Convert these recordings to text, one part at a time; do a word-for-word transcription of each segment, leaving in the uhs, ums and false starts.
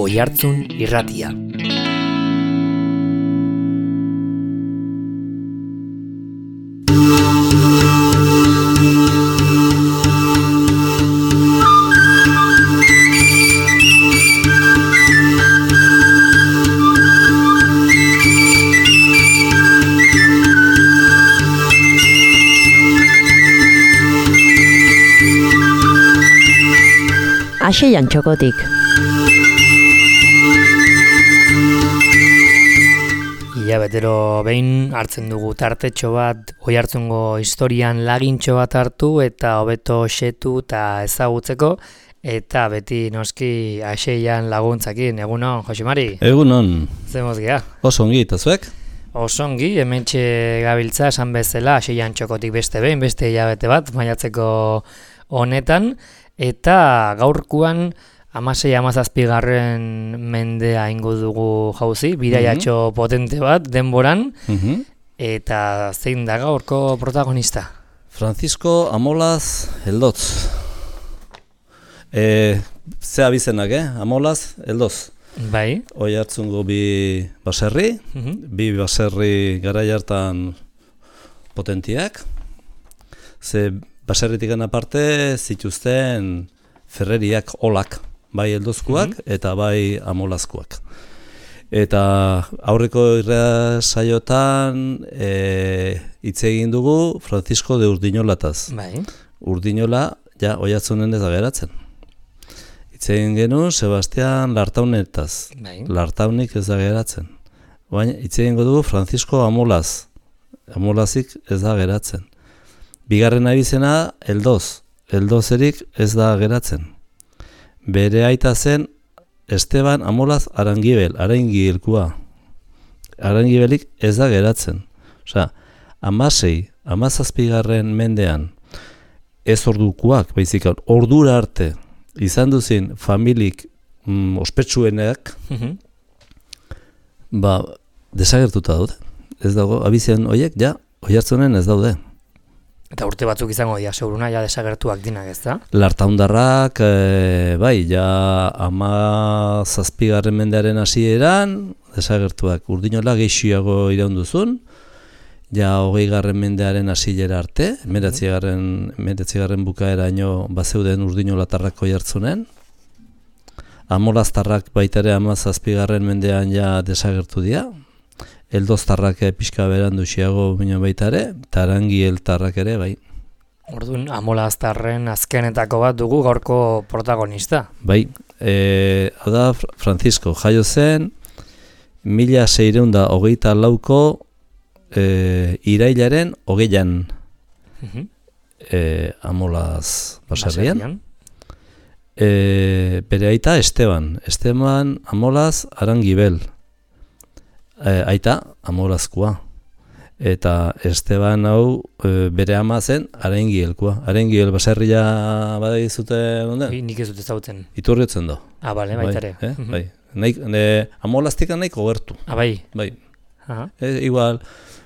Oihartzun Irratia. Aseian txokotik. Ia betero behin hartzen dugu tartetxo bat Oihartzungo historian lagintxo bat hartu eta hobeto xetu eta ezagutzeko, eta beti noski Aseian laguntzakin. Egunon, Josemari? Egunon. Zemoz gea? Oso ongi, eta zuek? Oso ongi, hementxe gabiltza esan bezala Aseian txokotik beste behin, beste hilabete bat, maiatzeko honetan. Eta gaurkuan hamasei hamazazpigarren mendea ingo dugu jauzi, bidaiatxo mm-hmm. potente bat denboran, mm-hmm. eta zein da gaurko protagonista? Francisco Amolaz Eldotz. E, ze abizenak, eh? Amolaz Eldotz. Bai. Oihartzungo bi baserri, mm-hmm. bi baserri garai hartan potentiak, ze baserritik aparte zituzten ferreriak olak, bai eldozkuak mm-hmm. eta bai amolazkoak. Eta aurreko irra saiotan e, hitz egin dugu Francisco de Urdinolataz. Bai. Urdinola ja Oihartzunen ez da geratzen. Hitz egin genuen Sebastian Lartaunetaz. Bai. Lartaunik ez da geratzen. Baina hitz egingo dugu Francisco Amolaz. Amolazik ez da geratzen. Bigarren abizena, Eldoz. Eldozerik ez da geratzen. Bere aita zen Esteban Amolaz Arangibel, Arangibelkua. Arangibelik ez da geratzen. Osea, hamasei, hamazazpigarren mendean ez ordukuak, baizik ordura arte izan duzin familik mm, ospetsuenak, mm-hmm. ba, desagertuta daude. Ez dago, abizen horiek, ja, Oihartzunen ez daude. Eta urte batzuk izango dira, seguruna, ja desagertuak dinak, ez da? Lartaundarrak, e, bai, ja ama zazpigarren mendearen hasieran desagertuak. Urdinola gehiago iraunduzun, ja hogei garren mendearen hasiera arte, meretzigarren meretzigarren bukaeraino bazeuden urdinolatarrak Oihartzunen. Amolaztarrak baita ere ama zazpigarren mendean ja desagertu dira. Eldoztarrak pixka berandu xiago bino baita ere, eta Arangieltarrak ere, bai. Orduan, Amolaztarren azkenetako bat dugu gaurko protagonista. Bai, e, hau da, Francisco, jaio zen, mila seireunda hogeita lauko e, irailaren hogeian uh-huh. e, Amolaz baserrian. E, bere aita Esteban, Esteban Amolaz Arangibel. E, aita Amolazkoa. Eta Esteban hau e, bere ama zen Arangielkoa. Arangiel baserria badai zute onden? Nik ez dut ezagutzen. Iturriotzen do. Ah, bale, baita ere. Bai, eh? bai. Naik, ne, Amolaztikan nahiko gertu. Ah, bai. Bai. Aha. E, igual,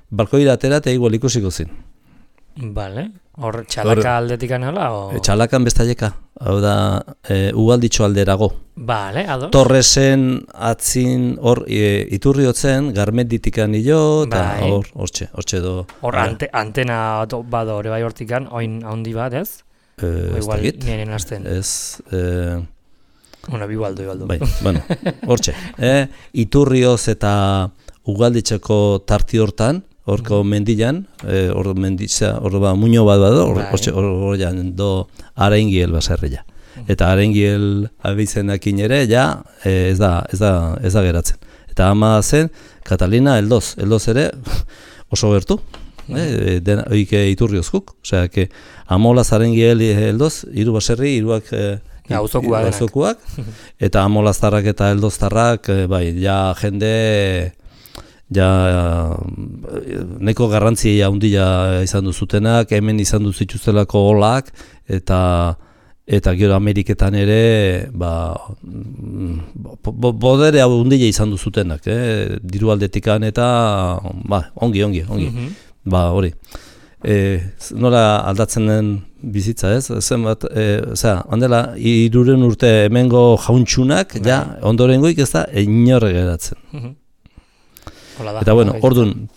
balkoira atera eta igual ikusiko zin. Bale. Hor, txalaka aldetikan nola? O... E, txalakan bestaleka. Hau da, e, ugalditxo alderago. Bale, ados. Torresen atzin hor e, iturriotzen, garmenditikan hilo, eta bai. hor, hortxe, hortxe do. Hor ante, antena bado hori bai hortikan, oin handi bat, ez? E, o igual ez niren azten. Ez, e... Una, bibaldo, bibaldo. Bai, bueno, hortxe. E, iturrioz eta ugalditxeko tarti hortan, horko mm. mendilan, hor e, menditza, hor ba, muño bat bado, hortxe, hor, hor, hor, do Arangiel baserria. Eta Arangiel abizenakin ere, ja, e, ez, da, ez, da, ez da geratzen. Eta ama zen, Catalina Eldoz, Eldoz ere oso gertu, mm. e, dena, oike iturriozkuk, osea, que Amolaz Arangiel Eldoz, hiru baserri, hiruak e, auzokuak, eta Amolaztarrak eta Eldoztarrak, e, bai, ja jende... Ja, neko garrantzia handia izan duzutenak, hemen izan duzituztelako olak, eta eta gero Ameriketan ere, ba, bo, bodere handia izan duzutenak, eh? Diru aldetikan eta, ba, ongi, ongi, ongi, mm-hmm. ba, hori. E, nola aldatzen den bizitza, ez? Zenbat, e, osea, ondela, hiruren urte hemengo jauntxunak, ja, ondorengoik ez da, inorre geratzen. Da, eta bueno, orduan,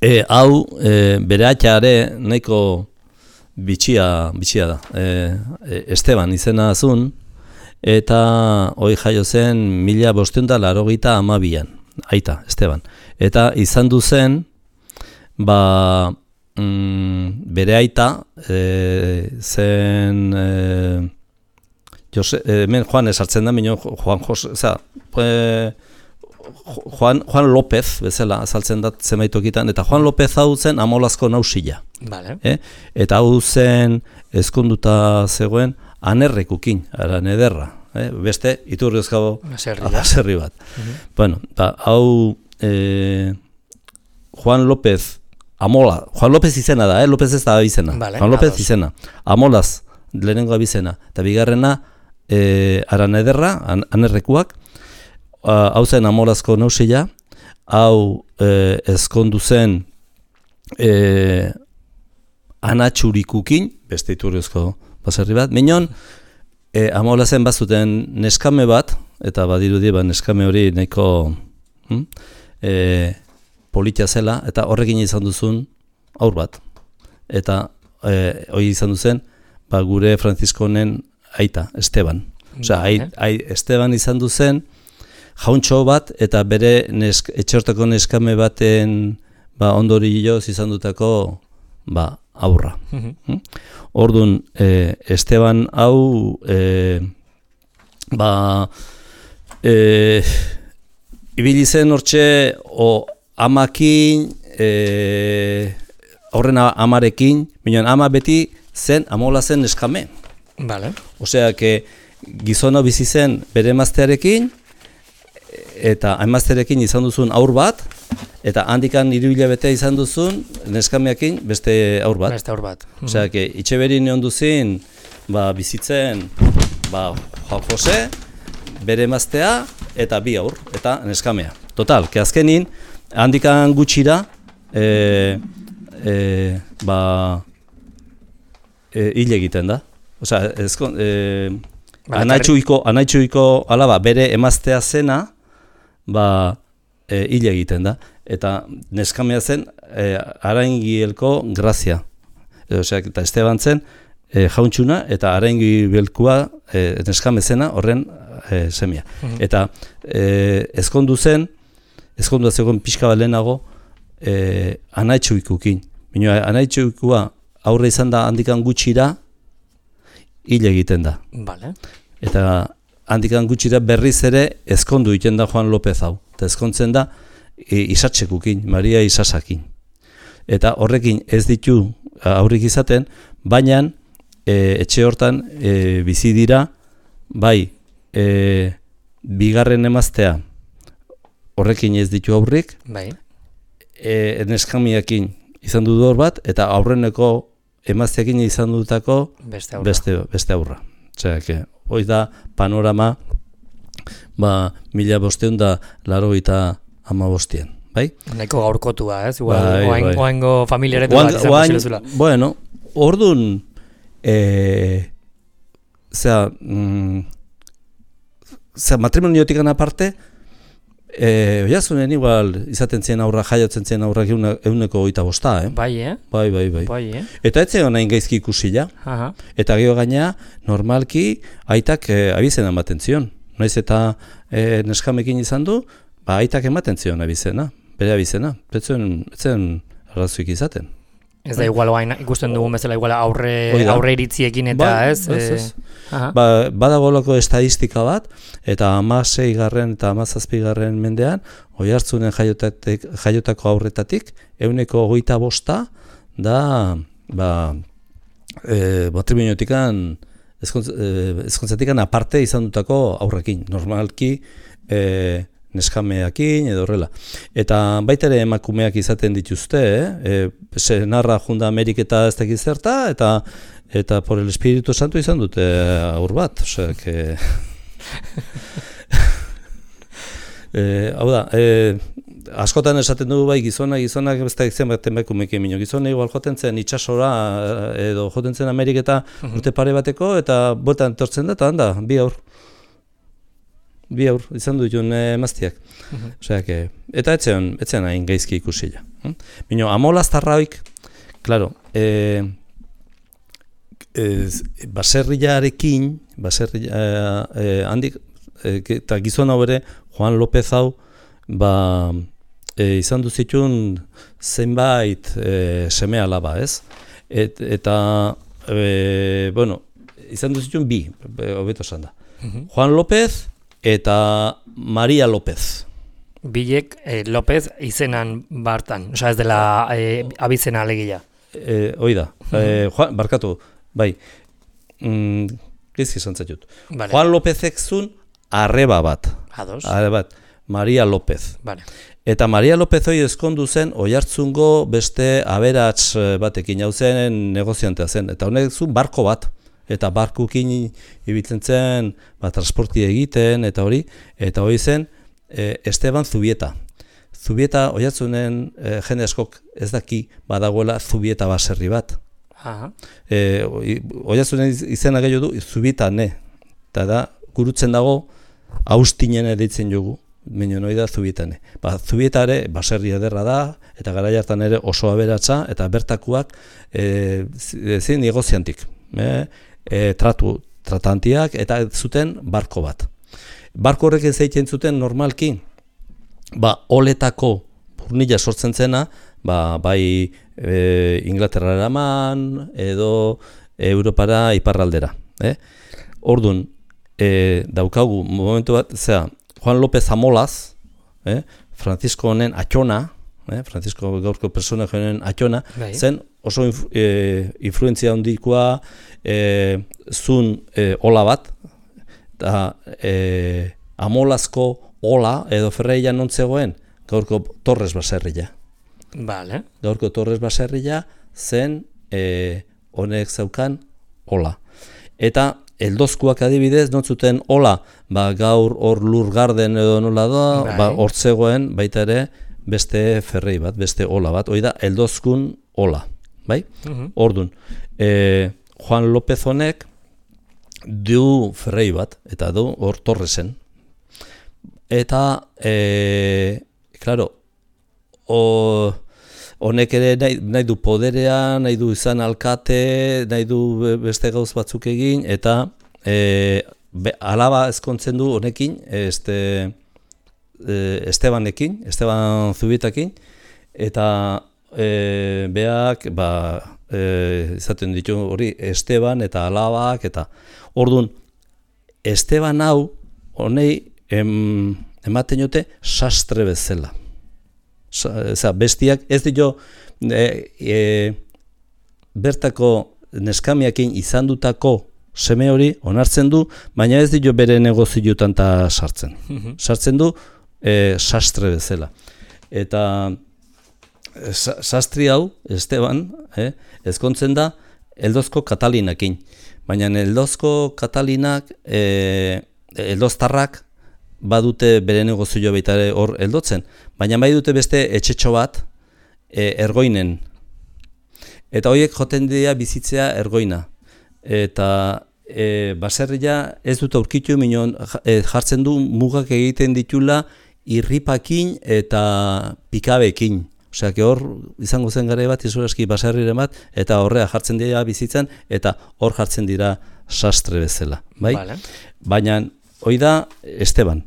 e, hau, e, bere atxare nahiko bitxia, bitxia da. E, e, Esteban izena azun, eta hoi jaio zen mila bosteun da larogeita amabian, aita, Esteban. Eta izan du zen, ba, mm, bere aita, e, zen, e, Jose, e, hemen Juan esartzen da, minio Juan Jose, oza, e, Juan, Juan López, bezala, azaltzen da zemaitokitan, eta Juan López hau zen Amolazko nausila. Vale. Eh? Eta hau zen ezkonduta zegoen anerrekukin, aran ederra. Eh? Beste, iturriozkago aserri bat. Uh-huh. Bueno, ta, hau eh, Juan López, Amola, Juan López izena da, eh? López ez da abizena. Vale, Juan López ados. izena. Amolaz, lehenengo abizena. Eta bigarrena, eh, aran ederra, an, anerrekuak, hau uh, zen Amolazko nausila, hau eh, ezkondu zen eh, anatxurikukin, beste iturriozko baserri bat, minon, eh, Amolazen bazuten neskame bat, eta badirudi ba, neskame hori nahiko hm, eh, politia zela, eta horrekin izan duzun aur bat. Eta eh, hori izan duzen, ba, gure Franziskonen aita, Esteban. Osea, ai, ai, Esteban izan duzen, jauntxo bat, eta bere nesk, etxortako neskame baten ba, ondorioz izan dutako ba, aurra. Mm-hmm. Orduan, e, Esteban hau e, ba, e, ibili zen hortxe o amakin, e, horrena amarekin, minon ama beti zen amola zen neskame. Vale. Osea, que gizona bizi zen bere emaztearekin, eta emaztearekin izan duzun aur bat, eta handikan hiru hilabete izan duzun neskameakin beste aur bat. Beste aur bat. Osea, que itxeberin egon duzin, ba, bizitzen, ba, Juan Jose, bere emaztea, eta bi aur, eta neskamea. Total, que azkenin, handikan gutxira, e, e, ba, e, hil egiten da. Osea, ezkon, e, anaitxuiko, anaitxuiko alaba, bere emaztea zena, ba, e, hil egiten da. Eta neskamea zen e, Araingielko Grazia. E, osea, eta Esteban zen e, jauntxuna eta Araingielkoa e, neskame zena horren e, semia. Mm-hmm. Eta e, ezkondu zen, ezkondu zegoen pixka bat lehenago e, anaitxuikukin. Bino, anaitxuikua aurre izan da handikan gutxira hil egiten da. Vale. Eta handikan gutxira berriz ere ezkondu egiten da Juan López hau. Eta ezkontzen da e, Isatxekukin, Maria Isasakin. Eta horrekin ez ditu aurrik izaten, baina e, etxe hortan e, bizi dira, bai, e, bigarren emaztea horrekin ez ditu aurrik, bai. E, neskamiakin izan du hor bat, eta aurreneko emazteakin izan dutako beste aurra. Beste, beste aurra. Osea, que hoi da panorama ba, mila bosteun da laro eta ama bostien, bai? Nahiko gaurkotua, ez? Igual, bai, oain, bai. oaingo familiaretu bat izan posilezula. Bueno, orduan, e, zera, mm, zera, matrimoniotikan aparte, E, oiazunen igual izaten zien aurra, jaiotzen zien aurrak euneko goita bosta, eh? Bai, eh? Bai, bai, bai. Bai, eh? Eta ez zegoen hain gaizki ikusila. Aha. Eta gero gaina, normalki, aitak e, abizena ematen zion. Naiz eta e, neskamekin izan du, ba, aitak ematen zion abizena, bere abizena. Ez zen arrazuik izaten. Ez da igual oain ikusten dugun bezala igual aurre, aurre iritziekin eta ba, ez? ez, ez. E, ba, badagolako estadistika bat, eta hamasei garren eta hamazazpi garren mendean, Oiartzunen jaiotako aurretatik, euneko hogeita bosta da ba, e, matrimoniotikan, ezkontzatikan aparte izan dutako aurrekin. Normalki, e, neskameakin edo horrela. Eta baita ere emakumeak izaten dituzte, eh? E, senarra junda Ameriketa ez dakiz zerta, eta eta por el Espíritu Santo izan dute aur bat. Osea, que... e, hau da, e, askotan esaten dugu bai gizona, gizonak beste egiten baten beko mekemino. Gizona igual joten zen itxasora edo joten zen Ameriketa uh-huh. urte pare bateko eta botan tortzen da eta handa, bi aur. Bi aur, izan du jun emaztiak. Uh-huh. Osea, que, eta etzean, etzean hain gaizki ikusila. Hm? Bino, amolaztarraoik, klaro, e, e, baserriarekin, baserria, e, handik, e, eta gizona bere, Juan López hau, ba, e, izan duzitun zenbait e, seme alaba, ez? Et, eta, e, bueno, izan duzitun bi, hobeto esan da. Uh-huh. Juan López eta Maria López. Bilek eh, López izenan bartan, osea ez dela eh, abizena alegia. E, hoi da, uh-huh. e, Juan, barkatu, bai, mm, gizki esan zaitut. Vale. Juan Lópezek zun arreba bat. Ados. Arreba bat. Maria López. Vale. Eta Maria López hori ezkondu zen Oiartzungo beste aberats batekin hau zen negoziantea zen. Eta honek zuen barko bat. Eta barkukin ibiltzen zen ba, transporti egiten eta hori. Eta hori zen e, Esteban Zubieta. Zubieta Oiartzunen e, jende askok ez daki badagoela Zubieta baserri bat. Aha. E, Oiartzunen izena gehiago du Zubieta ne. Eta da gurutzen dago Austinen editzen jogu. Mino noi da Zubietane. Ba, Zubietare baserri ederra da, eta garai hartan ere oso aberatsa, eta bertakuak e, zin negoziantik. E, e, tratu, tratantiak, eta zuten barko bat. Barko horrek ez egiten zuten normalki, ba, oletako burnila sortzen zena, ba, bai e, Inglaterra eraman, edo Europara iparraldera. Eh? Ordun, e, daukagu momentu bat, zera, Juan López Amolaz, eh, Francisco honen atxona, eh, Francisco gaurko persona honen atxona, bai. Zen oso inf, e, influentzia handikoa e, zun e, ola bat, eta e, Amolazko ola edo ferreia nontzegoen, gaurko Torres baserria. Vale. Gaurko Torres baserria zen e, honek zaukan ola. Eta eldozkuak adibidez, notzuten ola, ba, gaur hor Lurgarden edo nola da, bai. Ba, hortzegoen baita ere beste ferrei bat, beste ola bat, hori da, eldozkun ola, bai? Uh-huh. Ordun, e, Juan López honek du ferrei bat, eta du hor Torresen. Eta, e, claro, o... honek ere nahi, nahi du poderea, nahi du izan alkate, nahi du beste gauz batzuk egin, eta e, be, alaba ezkontzen du honekin, este, e, Estebanekin, Esteban Zubitakin, eta e, beak ba, e, izaten ditu hori Esteban eta alabak, eta orduan Esteban hau honei em, ematen jote sastre bezala. Oza, bestiak ez dio e, e, bertako neskamiakin izan dutako seme hori onartzen du, baina ez dio bere negozioetan ta sartzen. Mm-hmm. Sartzen du e, sastre bezala. Eta e, sa, sastri hau, Esteban, eh, ezkontzen da Eldozko Katalinakin. Baina Eldozko Katalinak, e, Eldoztarrak, badute bere negozioa baita hor heldotzen, baina bai dute beste etxetxo bat e, Ergoinen. Eta horiek joten dira bizitzea Ergoina. Eta e, baserria ez dut aurkitu minon e, jartzen du mugak egiten ditula irripakin eta pikabekin. Osea, hor izango zen gare bat, izuraski baserriren bat, eta horrea jartzen dira bizitzan, eta hor jartzen dira sastre bezala. Bai? Vale. Baina hori da Esteban.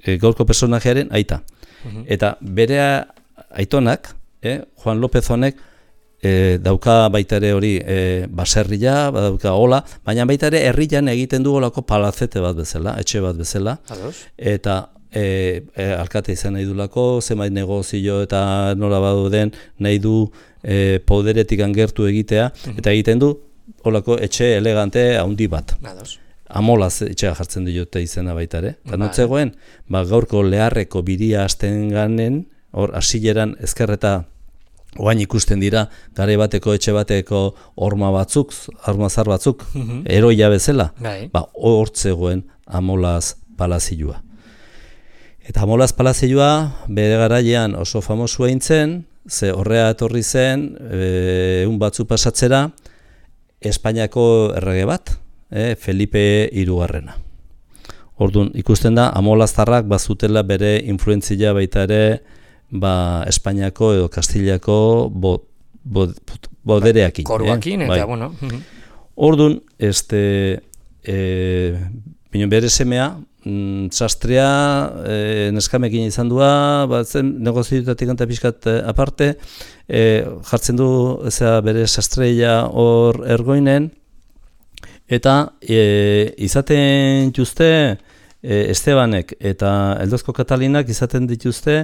E, gaurko personajearen aita. Uh-huh. Eta bere aitonak, eh, Juan López honek, e, dauka baita ere hori e, baserria, dauka hola, baina baita ere herrian egiten du holako palazete bat bezala, etxe bat bezala. Ados. Eta e, e, alkate izan nahi du lako, zenbait negozio eta nola badu den nahi du e, poderetik angertu egitea, uh-huh. Eta egiten du holako etxe elegante handi bat. Ados. Amolaz etxea jartzen diote izena baita ere. Eta notzegoen, ba, gaurko Leharreko biria hasten ganen, hor hasileran ezkerreta oain ikusten dira, gare bateko etxe bateko horma batzuk, armazar batzuk, mm-hmm. Eroia bezala, bai. Ba, hortzegoen Amolaz palazioa. Eta Amolas palazioa bere garaian oso famosua eintzen, ze horrea etorri zen, egun batzu pasatzera, Espainiako errege bat, e, Felipe hirugarrena. Orduan, ikusten da, amolaztarrak bazutela bere influentzia baita ere, ba, Espainiako edo Kastiliako bo, bo, bodereakin. Koruakin, eh? eta, bai. bueno. Orduan, este, e, bine bere semea, mm, sastrea, e, neskamekin izan dua, batzen negoziutatik anta pixkat e, aparte, e, jartzen du eza, bere sastreia hor ergoinen, eta e, izaten dituzte e, Estebanek eta Eldozko Katalinak izaten dituzte,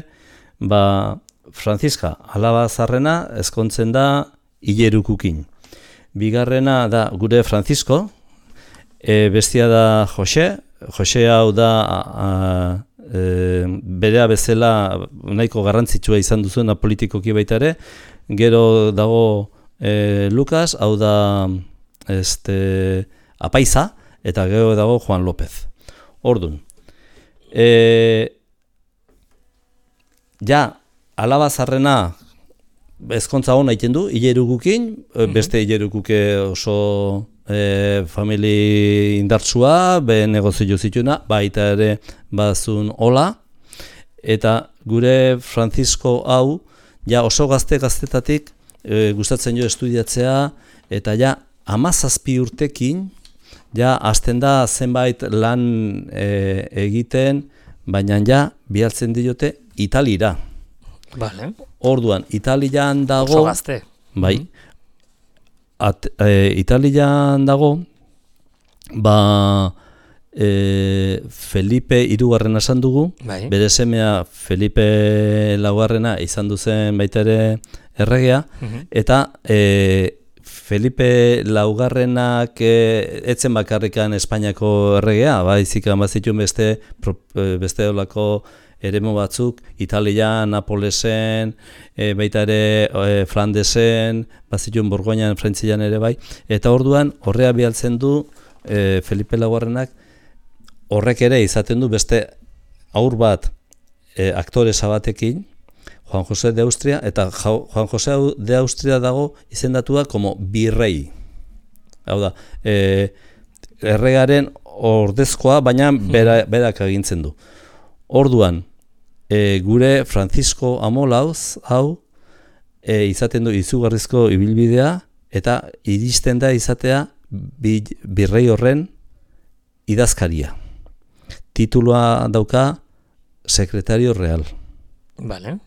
ba, Franziska alaba zarrena ezkontzen da Ilerukukin. Bigarrena da gure Francisco, e, bestia da Jose, Jose hau da a, e, berea bezala nahiko garrantzitsua izan duzuena politikoki baita ere, gero dago e, Lucas, hau da este, Apaiza, eta gero dago Juan López. Ordun, e, ja, alaba zarrena ezkontza hona egiten du, Ilerukukin, mm-hmm. beste Ilerukuke oso e, famili indartsua, be negozio zituna, baita ere bazun hola, eta gure Francisco hau, ja oso gazte gaztetatik e, gustatzen jo estudiatzea, eta ja hamazazpi urtekin, ja hasten da zenbait lan e, egiten, baina ja bihartzen diote Italira. Vale. Orduan, Italian dago... Oso gazte. Bai. At, e, Italian dago, ba, e, Felipe hirugarrena esan dugu, bai. Bere semea Felipe laugarrena izan duzen baita ere erregea, mm-hmm. eta e, Felipe laugarrenak e, etzen bakarrikan Espainiako erregea, baizik bazituen beste, beste olako eremu batzuk, Italia, Napolesen, e, baita ere e, Flandesen, bazituen Borgoinan, Frantzian ere bai, eta orduan horrea bialtzen du e, Felipe laugarrenak, horrek ere izaten du beste aur bat e, aktoresa batekin, Juan José de Austria, eta Juan José de Austria dago izendatua como birrei. Hau da, e, erregaren ordezkoa, baina bera, berak agintzen du. Orduan, e, gure Francisco Amolauz, hau, e, izaten du izugarrizko ibilbidea, eta iristen da izatea bi, birrei horren idazkaria. Titulua dauka Secretario Real. Vale.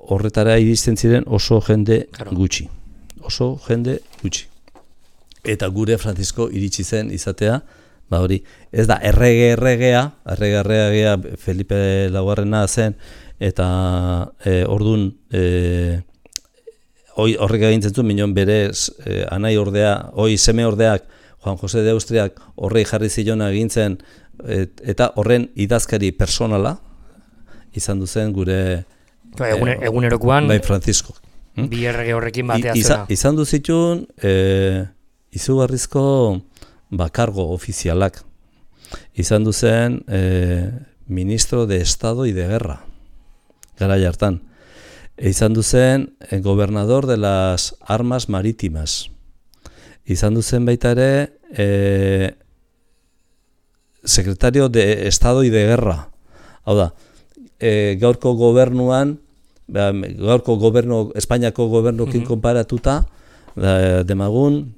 Horretara iristen ziren oso jende claro. gutxi. Oso jende gutxi. Eta gure Francisco iritsi zen izatea, ba hori, ez da errege erregea, errege erregea Felipe laugarrena zen, eta e, ordun e, horrek egintzen zuen, minon berez e, anai ordea, oi seme ordeak, Juan José de Austriak horrei jarri zilona egintzen, et, eta horren idazkari personala izan duzen gure Egun, egunerokoan bai Francisco. Hmm? Bi errege horrekin batea I, zena. Izan du zituen e, izugarrizko bakargo ofizialak. Izan du zen e, ministro de Estado y de Guerra. Garai hartan. E, izan du zen e, gobernador de las armas marítimas. Izan du zen baita ere e, secretario de Estado y de Guerra. Hau da, E, gaurko gobernuan, gaurko gobernu, Espainiako gobernukin mm-hmm. konparatuta, da, demagun,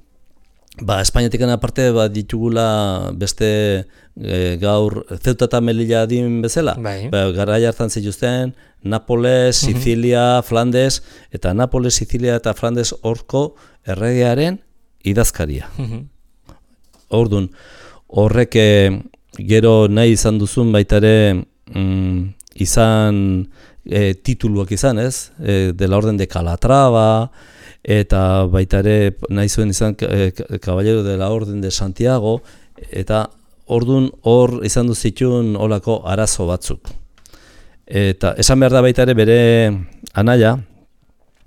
ba, Espainiatik aparte ba, ditugula beste e, gaur Ceuta eta Melilla din bezala. Bai. Ba, garai hartan zituzten, Napoles, Sicilia, mm-hmm. Flandes, eta Napoles, Sicilia eta Flandes horko erregearen idazkaria. Mm-hmm. Ordun, horrek e, gero nahi izan duzun baitare, mm, izan e, tituluak izan, ez? E, de la orden de Calatrava, eta baita ere nahi zuen izan e, Caballero de la Orden de Santiago, eta ordun hor izan du zituen olako arazo batzuk. Eta esan behar da baita ere bere anaia,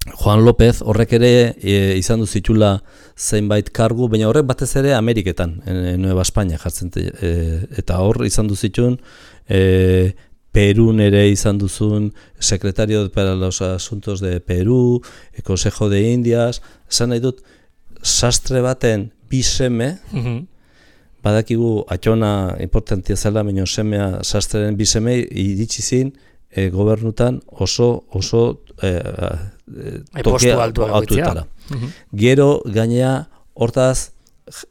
Juan López, horrek ere e, izan du zitula zeinbait kargu, baina horrek batez ere Ameriketan, en, en Nueva España jartzen, e, eta hor izan du zituen e, Perun ere izan duzun secretario para los asuntos de Peru, el Consejo de Indias, esan nahi dut, sastre baten bi seme, Mhm. badakigu atxona importantia zela, baina semea sastreren bi seme iritsi zin e, gobernutan oso oso e, e, Postu altuak altuetara. Mhm. Gero gainea hortaz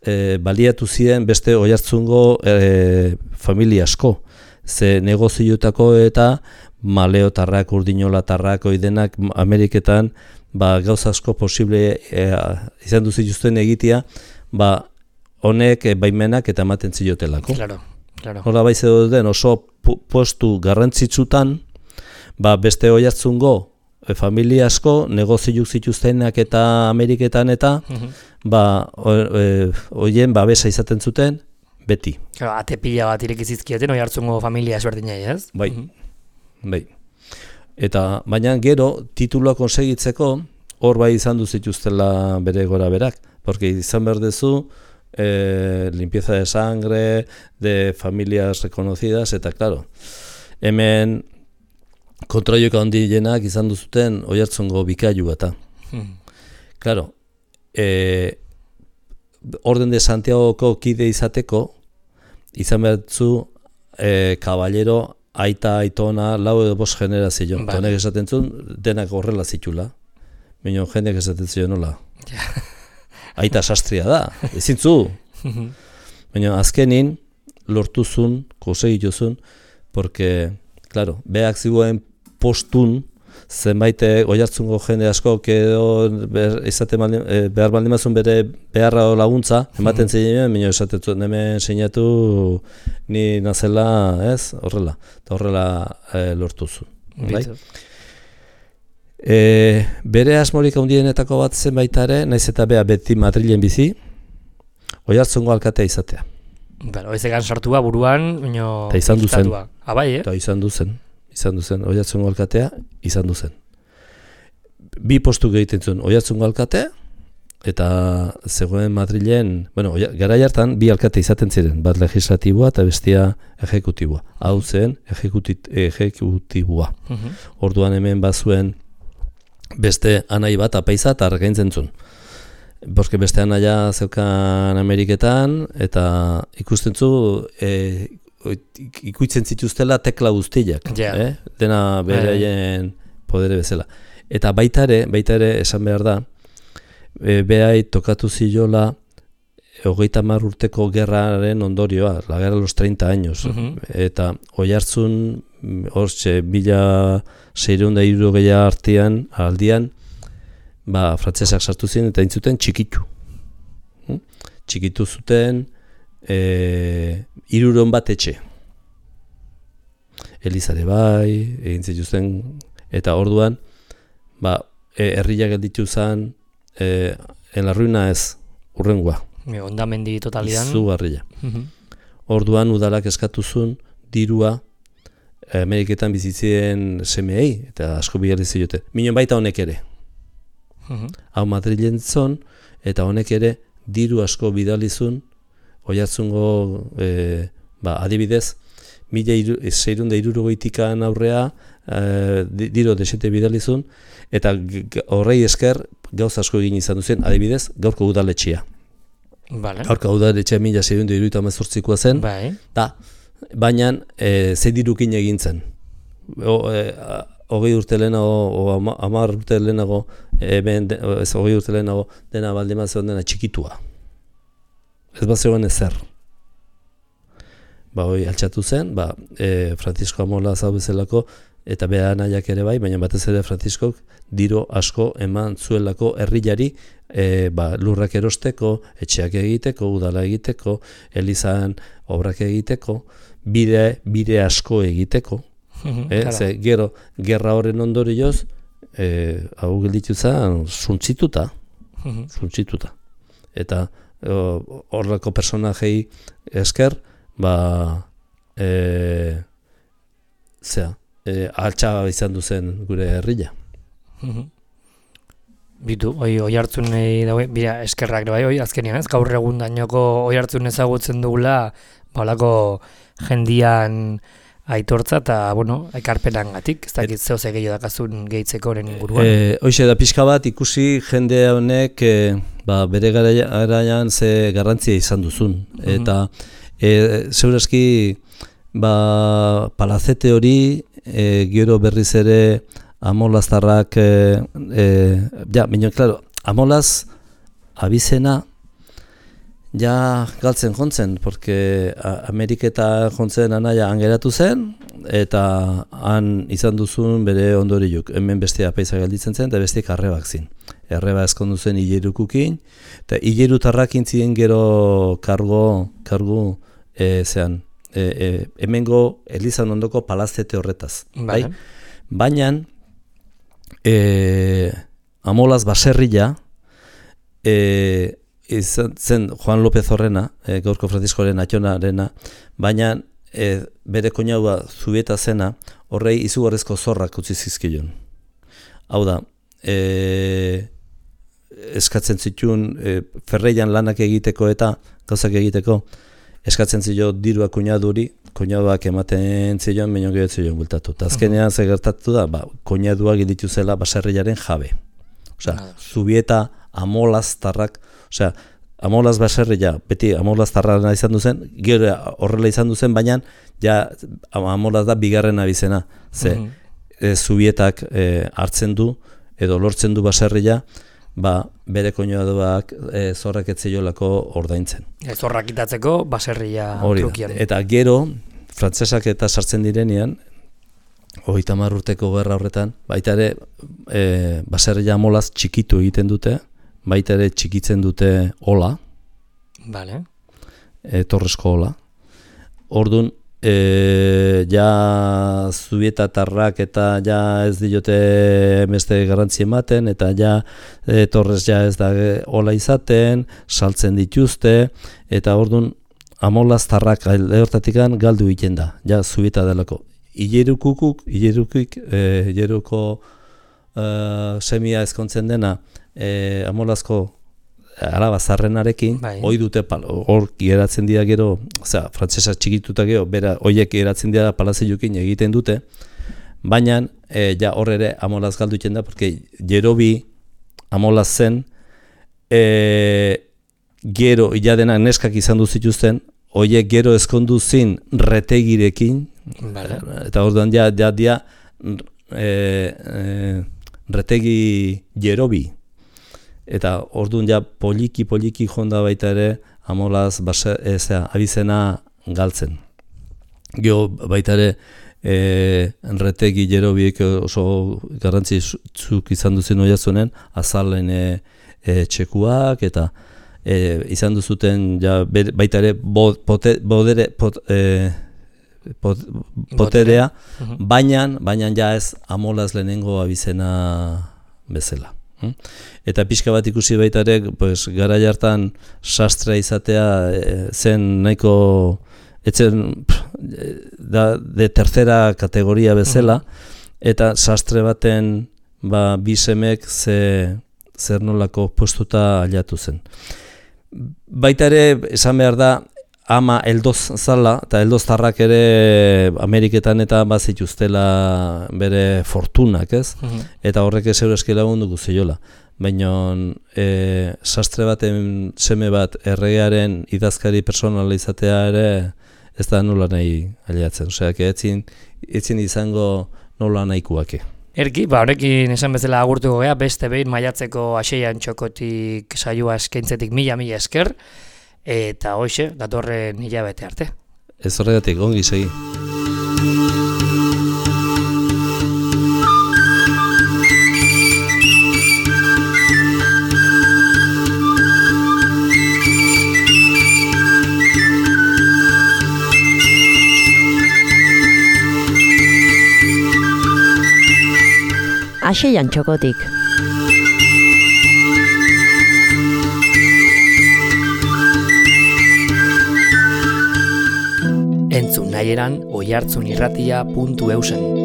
e, baliatu ziren beste Oiartzungo e, familia asko, ze negozioetako eta maleotarrak, urdinolatarrak, oidenak Ameriketan ba, gauza asko posible e, izan duzituzten egitea, ba, honek e, baimenak eta ematen ziotelako. Claro, claro. Hola bai zeuden oso pu postu garrantzitsutan, ba, beste Oiartzungo e, familia asko, negozio zituztenak eta Ameriketan eta, Mhm. ba, hoien e, babesa izaten zuten, beti. Claro, ate pila bat irekizizkieten Oiartzungo familia esberdinai, ez? Bai, Mhm. bai. Eta, baina gero, tituloa konsegitzeko, hor bai izan duzituztela bere gora berak, porque izan behar dezu, eh, limpieza de sangre, de familias reconocidas, eta, claro, hemen kontroioka handienak izan duzuten Oiartzungo bikailu eta. Mhm. Claro, eh, Orden de Santiagoko kide izateko, izan behar zu, eh, kaballero, aita, aitona, lau edo bost generazio. Eta honek esaten zuen, denak horrela zitula. Baina jendeak esaten zuen nola. Aita sastria da, ezin zu. Baina azkenin, lortuzun, konsegituzun, porque, claro, beak ziguen postun, zenbait Oiartzungo jende asko edo izate behar baldin bazun bere beharra laguntza, ematen ziren, baina esaten zuen hemen sinatu ni nazela, ez, horrela, eta horrela e, lortuzu. Bai? E, bere asmorik handienetako bat zen baita ere, naiz eta bea beti Madrilen bizi, Oiartzungo alkatea izatea. Bueno, ezegan sartua buruan, baina eta izan duzen. Abai, eh? Eta izan duzen. izan duzen, Oiartzungo alkatea, izan duzen. Bi postu egiten zuen Oiartzungo alkatea, eta zegoen Madrilen, bueno, garai hartan bi alkate izaten ziren, bat legislatiboa eta bestia ejekutiboa. Hau zen ejekutiboa. Mhm. Orduan hemen bazuen beste anai bat apaiza eta argaintzen zuen. Boske beste anaia zeukan Ameriketan, eta ikusten zu, e, ikuitzen zituztela tekla guztiak, yeah. eh? Dena beraien podere bezala. Eta baita ere, baita ere esan behar da, e, behai tokatu ziola hogeita hamar urteko gerraren ondorioa, la guerra los treinta años, uh-huh. eta Oiartzun, hortxe, mila seiehun eta hirurogeia artean, aldian, ba, frantsesak sartu ziren eta intzuten txikitu. Hm? Txikitu zuten, E, hiruron bat etxe. Elizare bai, egin zituzten, eta orduan, ba, e, herria gelditu zen, e, en la ruina ez, urrengoa. Hondamendi totalidan. Izugarria. Uh-huh. Orduan udalak eskatu zuen dirua Ameriketan bizitzien semeei, eta asko bidali zioten. Minon baita honek ere. Uh-huh. Hau Madrilen zon, eta honek ere diru asko bidalizun, Oiartzungo, e, ba, adibidez, mila seirun da irurogoitikan aurrea, e, diro desete bidalizun, eta horrei esker gauz asko egin izan duzen, adibidez, gaurko udaletxea. Vale. Gaurko udaletxea mila seirun da irurogeita hemezortzikoa zen, bai. da, baina e, ze dirukin egin zen. O, e, hogei urte lehenago, o hamar urte lehenago, e, ben, de, ez hogei urte lehenago, dena baldima zegoen dena txikitua. Ez bat zegoen ezer. Ba, hoi, altxatu zen, ba, e, Francisco Amola zau bezalako, eta beha nahiak ere bai, baina batez ere Franciscok diro asko eman zuelako herrilari, e, ba, lurrak erosteko, etxeak egiteko, udala egiteko, elizan obrak egiteko, bide, bide asko egiteko. Uh-huh, eh? Ze, gero, gerra horren ondorioz, e, hau gelditu zen, suntzituta, uh-huh. suntzituta. Eta horrelako personajei esker, ba, e, zera, e, altxa izan duzen gure herria. Uh-huh. Bitu, oi, Oiartzunei daue, bira, eskerrak bai, oi, azkenean ez, gaur egun dainoko Oiartzun ezagutzen dugula, balako jendian aitortza eta, bueno, ekarpenangatik, ez dakit zeo ze gehiago dakazun gehitzeko horren inguruan. E, Hoxe da pixka bat ikusi jende honek e, ba, bere garaian ze garrantzia izan duzun. Mm-hmm. Eta e, zeurazki ba, palazete hori e, gero berriz ere amolaztarrak, e, e, ja, baina, klaro, amolaz abizena ja galtzen jontzen, porque Ameriketa jontzen anaia angeratu zen, eta han izan duzun bere ondoriuk. Hemen beste apaiza gelditzen zen, eta beste arrebak zin. Arreba eskondu zen hilerukukin, eta hilerutarrak intzien gero kargo, kargu e, zean, e, e, hemengo Elizan ondoko palazete horretaz. Bai? Baina, e, amolaz baserria, e, izan zen Juan López Horrena, e, gaurko Franziskoren atxonarena, baina e, bere koinaua Zubieta zena, horrei izugarrizko zorrak utzi zizkion. Hau da, e, eskatzen zituen e, ferreian lanak egiteko eta gauzak egiteko, eskatzen zio dirua koinaduri, koinauak ematen zion, baino gero zion bultatu. Eta azkenean ze gertatu da, ba, koinaduak ditu zela baserriaren jabe. Osea, Zubieta amolaztarrak, osea, amolaz baserria, beti amolaztarra izan duzen, gero horrela izan duzen, baina ja amolaz da bigarren abizena. Ze, mm-hmm. e, Zubietak e, hartzen du, edo lortzen du baserria, ba, bere koinaduak e, zorrak etzeiolako ordaintzen. E, zorrak itatzeko baserria trukian. Eta gero, frantsesak eta sartzen direnean, hogeita hamar urteko gerra horretan, baita ere e, baserria amolaz txikitu egiten dute, baita ere txikitzen dute ola, vale. e, torresko ola. Orduan, e, ja Zubietatarrak eta ja ez diote beste garrantzi ematen, eta ja e, torres ja ez da ola izaten, saltzen dituzte, eta orduan amolaztarrak hortatikan galdu egiten da, ja Zubieta delako. Ilerukukuk, ilerukik, e, ileruko e, semia ezkontzen dena, E, amolazko araba zarrenarekin, bai. Hoi dute, hor geratzen dira gero, osea, frantsesa txikituta gero, bera, hoiek geratzen dira palazioekin egiten dute, baina e, ja hor ere amolaz galdu egiten da, porque Jerobi amolaz zen, e, gero iladenak neskak izan duzituzten, hoiek gero ezkondu zin retegirekin, vale. Eta orduan ja, ja, ja e, e, retegi Jerobi. Eta orduan ja poliki-poliki jonda baita ere amolaz base, ezea, abizena galtzen. Gero baita ere e, retegi Jerobiek oso garrantzitsuk izan duzen oiazunen, azalen e, e, txekuak eta e, izan duzuten ja, baita ere bo, pote, bodere, pot, e, pot, poterea, uh-huh. baina, baina ja ez amolaz lehenengo abizena bezala. Eta pixka bat ikusi baita ere, pues, garai hartan sastra izatea e, zen nahiko etzen da, de tercera kategoria bezala, eta sastre baten ba, bisemek ze, zer nolako postuta aliatu zen. Baita ere, esan behar da, ama eldoz zala, eta eldoztarrak ere Ameriketan eta bazituztela bere fortunak, ez? Mm-hmm. Eta horrek ez eureski lagunduko ziola. Baina e, sastre baten seme bat erregearen idazkari personala izatea ere ez da nola nahi aliatzen. Osea, etzin, etzin izango nola nahikuake. Erki, ba, horrekin esan bezala agurtuko gea, beste behin maiatzeko Aseian Txokotik saioa eskaintzetik mila-mila esker, eta hoxe, datorren hilabete arte. Ez horregatik, ongi segi. Aseian Txokotik. Entzun nahieran oihartzunirratia puntu eusen.